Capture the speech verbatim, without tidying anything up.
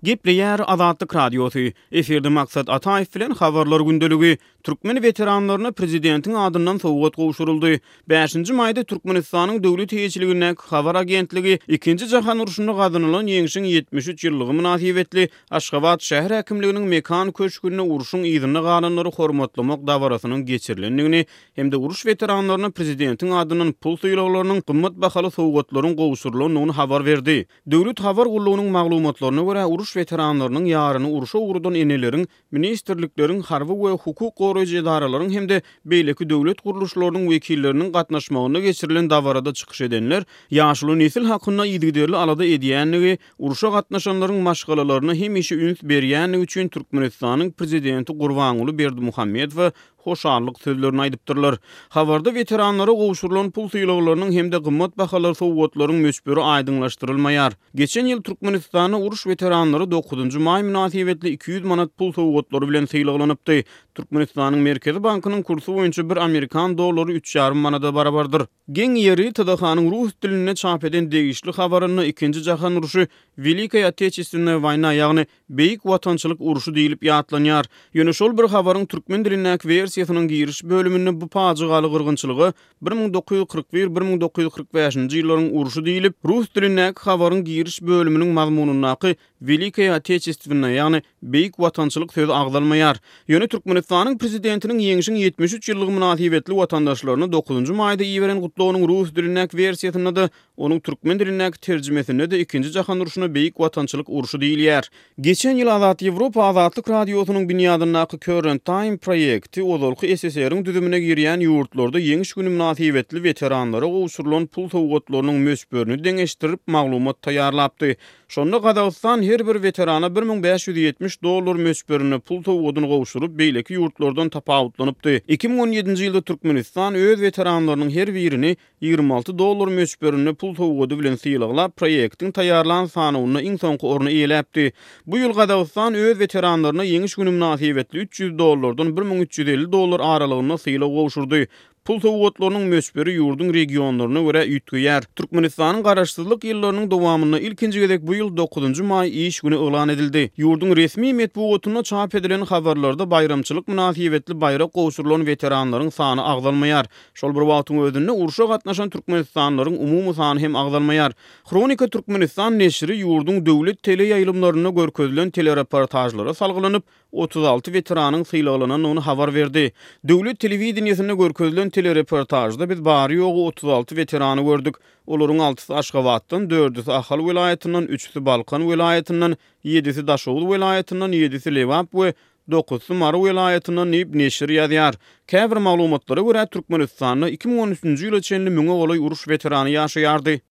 Gepleýär Azatlyk Radiosy. Efirde Maksat Ataýew bilen Habarlar gündeligi. Türkmen weteranlaryna prezidentiň adyndan sowgat gowşuryldy. Bäşinji maýda Türkmenistanyň döwlet eýeçiligindäki Habar agentligi Ikinji jahan urşunda gazanylan ýeňşiň ýetmiş üç ýyllygy mynasybetli Aşgabat şäher häkimliginiň Mekan köşgünde urşuň yzynda galanlary hormatlamak dabarasynyň geçirilendigini hem-de uruş weteranlaryna prezidentiň adyndan pul sylaglarynyň, gymmat bahaly sowgatlaryň gowşurylandygyny habar berdi. Döwlet habar gullugynyň maglumatlaryna görä, uruş weteranlarynyň ýaryny urşa ugradan eneleriň, ministrlikleriň, harby we hukuk goraýjy edaralaryň hem-de beýleki döwlet gurluşlarynyň wekilleriniň gatnaşmagynda geçirilen dabarada çykyş edenler ýaşuly nesil hakynda yzygiderli alada edýändigi, urşa gatnaşanlaryň maşgalalaryna hemişe üns berýändigi üçin Türkmenistanyň Prezidenti Gurbanguly Berdimuhamedowa hoşallyk sözlerini aýdypdyrlar. Habarda weteranlara gowşurylan pul sylaglarynyň hem-de gymmat bahaly sowgatlaryň möçberi aýdyňlaşdyrylmaýar. Geçen ýyl Türkmenistanda uruş weteranlary dokuzynjy maý mynasybetli iki ýüz manat pul sowgatlary bilen sylaglanypdy. Türkmenistanyň Merkezi bankynyň kursy boýunça bir amerikan dollary üç ýarym manada barabardyr. Geň ýeri, T D H-nyň rus dilinde çap eden degişli habarynda Ikinji jahan urşy Welikaýa Oteçestwennaýa woýna, ýagny Beýik Watançylyk urşy diýlip ýatlanýar. Ýöne şol bir habaryň türkmen dilindäki wersiýasynyň giriş bölüminde bu pajygaly gyrgynçylyga bir müň dokuz ýüz kyrk bir, bir müň dokuz ýüz kyrk bäşinji ýyllaryň urşy diýlip, rus dilindäki habaryň giriş bölüminiň mazmunyndaky Welikaýa Oteçestwennaýa, ýagny Beýik Watançylyk sözi agzalmaýar. Ýöne Türkmenistanyň Prezidentiniň ýeňşiň ýetmiş üç ýyllygy mynasybetli watandaşlaryna dokuzynjy maýda iberen gutlagynyň rus dilindäki wersiýasynda-da, onuň türkmen dilindäki terjimesinde-de Ikinji jahan urşuna Beýik Watançylyk urşy diýilýär. Geçen ýyl Azat Ýewropa Azatlyk Radiosynyň binýadyndaky Current Time proýekti ozalky S S R-iň düzümine girýän ýurtlarda Ýeňiş güni mynasybetli weteranlara gowşurylan pul sowgatlarynyň möçberini deňeşdirip maglumat taýýarlapdy. Şonda Gazagystan her bir weterana bir müň bäş ýüz ýetmiş dollar möçberinde pul sowgadyny gowşuryp, beýleki ýurtlardan tapawutlanypdy. Iki müň on ýedinji ýylda Türkmenistan öz weteranlarynyň her birini ýigrimi alty dollar möçberinde pul sowgady bilen sylaglap, proýektiň taýýarlan sanawynda iň soňky orny eýeläpdi. Bu ýyl Gazagystan öz weteranlaryna Ýeňiş güni mynasybetli üç ýüz dollardan bir müň üç ýüz elli dollar aralygynda sylag gowşurdy. Pul sowgatlarynyň möçberi ýurduň regionlaryna görä üýtgeýär. Türkmenistanyň garaşsyzlyk ýyllarynyň dowamynda ilkinji gezek bu ýyl dokuzynjy maý iş güni yglan edildi. Ýurduň resmi metbugatynda çap edilen habarlarda baýramçylyk mynasybetli baýrak gowşurylan weteranlaryň sany agzalmaýar. Şol bir wagtyň özünde urşa gatnaşan türkmenistanlylaryň umumy sany hem agzalmaýar. Hronika Türkmenistan neşiri ýurduň döwlet teleýaýlymlarynda görkezilen telereportažlara salgylanyp, otuz alty weteranyň sylaglanandygyny habar berdi. Döwlet telewideniýesinde görkezilen telereportažda biz bary-ýogy otuz alty weterany gördük. Olaryň altysy Aşgabatdan, dördüsi Ahal welaýatyndan, üçüsi Balkan welaýatyndan, ýedisi Daşoguz welaýatyndan, ýedisi Lebap we dokuzysy Mary welaýatyndan diýip neşir ýazýar. Käbir maglumatlara görä, Türkmenistanda iki müň on üçünji ýyla çenli müňe golaý uruş weterany ýaşaýardy.